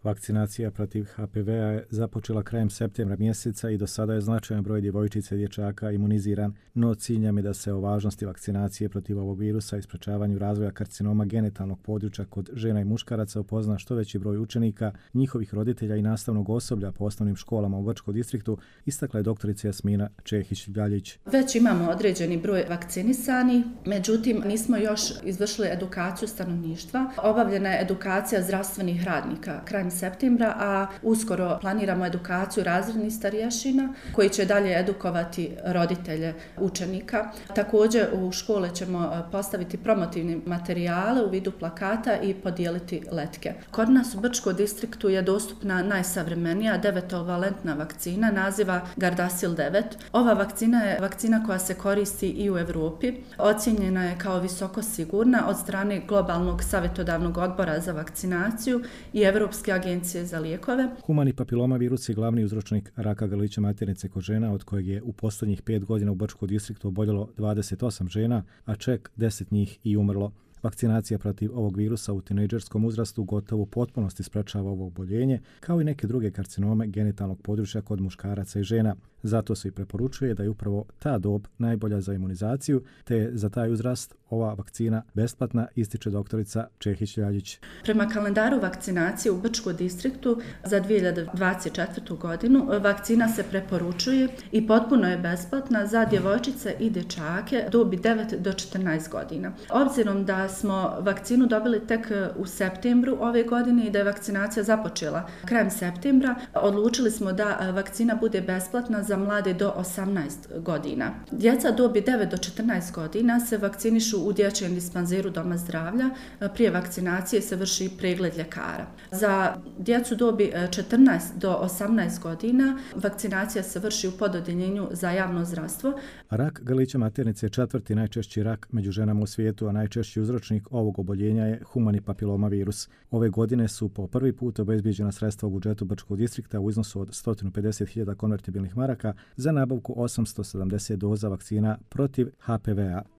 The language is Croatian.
Vakcinacija protiv HPV-a je započela krajem septembra mjeseca i do sada je značajan broj djevojčica i dječaka imuniziran, no cilj nam je da se o važnosti vakcinacije protiv ovog virusa i sprečavanju razvoja karcinoma genitalnog područja kod žena i muškaraca upozna što veći broj učenika, njihovih roditelja i nastavnog osoblja po osnovnim školama u Brčkom distriktu, istakla je doktorica Jasmina Čehić-Ljaljić. Već imamo određeni broj vakcinisani, međutim nismo još izvršili edukaciju stanovništva. Obavljena je edukacija zdravstvenih radnika krajem septembra, a uskoro planiramo edukaciju razrednih starješina koji će dalje edukovati roditelje učenika. Također u škole ćemo postaviti promotivne materijale u vidu plakata i podijeliti letke. Kod nas u Brčkom distriktu je dostupna najsavremenija 9-valentna vakcina naziva Gardasil 9. Ova vakcina je vakcina koja se koristi i u Europi. Ocijenjena je kao visoko sigurna od strane Globalnog savjetodavnog odbora za vakcinaciju i Europske agencije za lijekove. Humani papiloma virus je glavni uzročnik raka grlića maternice kod žena, od kojeg je u posljednjih 5 godina u Brčkom distriktu oboljelo 28 žena, a čak 10 njih i umrlo. Vakcinacija protiv ovog virusa u tinejdžerskom uzrastu gotovo u potpunosti sprečava ovo oboljenje, kao i neke druge karcinome genitalnog područja kod muškaraca i žena. Zato se i preporučuje da je upravo ta dob najbolja za imunizaciju, te je za taj uzrast ova vakcina besplatna, ističe doktorica Čehić-Ljaljić. Prema kalendaru vakcinacije u Brčkom distriktu za 2024. godinu vakcina se preporučuje i potpuno je besplatna za djevojčice i dječake dobi 9 do 14 godina. Obzirom da smo vakcinu dobili tek u septembru ove godine i da je vakcinacija započela krajem septembra, odlučili smo da vakcina bude besplatna za mlade do 18 godina. Djeca dobi 9 do 14 godina se vakcinišu u dječjem dispanzeru Doma zdravlja. Prije vakcinacije se vrši pregled ljekara. Za djecu dobi 14 do 18 godina vakcinacija se vrši u pododjeljenju za javno zdravstvo. Rak grlića maternice je 4. najčešći rak među ženama u svijetu, a najčešći uzročnik ovog oboljenja je humani papiloma virus. Ove godine su po prvi put obezbijeđena sredstva u budžetu Brčkog distrikta u iznosu od 150.000 konvertibilnih maraka za nabavku 870 doza vakcina protiv HPV-a.